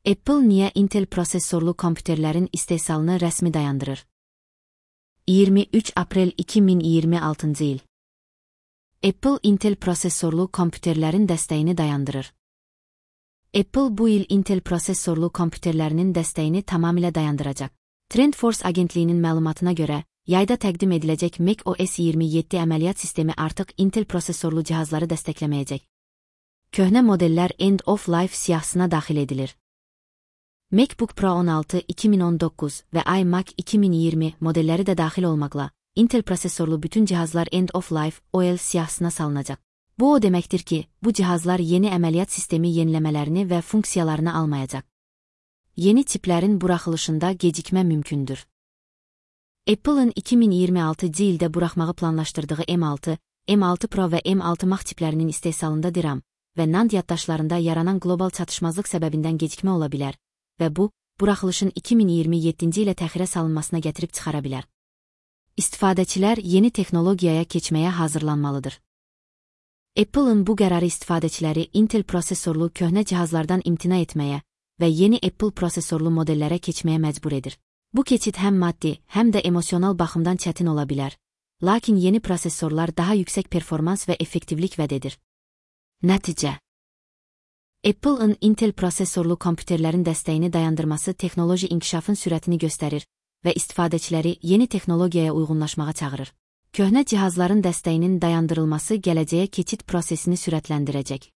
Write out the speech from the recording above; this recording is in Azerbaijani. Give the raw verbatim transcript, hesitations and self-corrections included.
Apple niyə Intel prosesorlu kompüterlərin istehsalını rəsmi dayandırır? iyirmi üç aprel iki min iyirmi altıncı il. Apple Intel prosesorlu kompüterlərin dəstəyini dayandırır. Apple bu il Intel prosesorlu kompüterlərinin dəstəyini tamamilə dayandıracaq. TrendForce agentliyinin məlumatına görə, yayda təqdim ediləcək macOS iyirmi yeddi əməliyyat sistemi artıq Intel prosesorlu cihazları dəstəkləməyəcək. Köhnə modellər End of Life siyahısına daxil edilir. MacBook Pro on altı iki min on doqquz və iMac iki min iyirmi modelləri də daxil olmaqla, Intel prosesorlu bütün cihazlar End of Life O L siyahısına salınacaq. Bu o deməkdir ki, bu cihazlar yeni əməliyyat sistemi yeniləmələrini və funksiyalarını almayacaq. Yeni çiplərin buraxılışında gecikmə mümkündür. Apple'ın iki min iyirmi altıncı ildə buraxmağı planlaşdırdığı M altı, M altı Pro və M altı Max çiplərinin istehsalında DRAM və NAND yaddaşlarında yaranan qlobal çatışmazlıq səbəbindən gecikmə ola bilər və bu, buraxılışın iki min iyirmi yeddinci ilə təxirə salınmasına gətirib çıxara bilər. İstifadəçilər yeni texnologiyaya keçməyə hazırlanmalıdır. Apple'ın bu qərarı istifadəçiləri Intel prosesorlu köhnə cihazlardan imtina etməyə və yeni Apple prosesorlu modellərə keçməyə məcbur edir. Bu keçid həm maddi, həm də emosional baxımdan çətin ola bilər, lakin yeni prosesorlar daha yüksək performans və effektivlik vəd edir. Nəticə: Apple'ın Intel prosesorlu kompüterlərin dəstəyini dayandırması texnoloji inkişafın sürətini göstərir və istifadəçiləri yeni texnologiyaya uyğunlaşmağa çağırır. Köhnə cihazların dəstəyinin dayandırılması gələcəyə keçid prosesini sürətləndirəcək.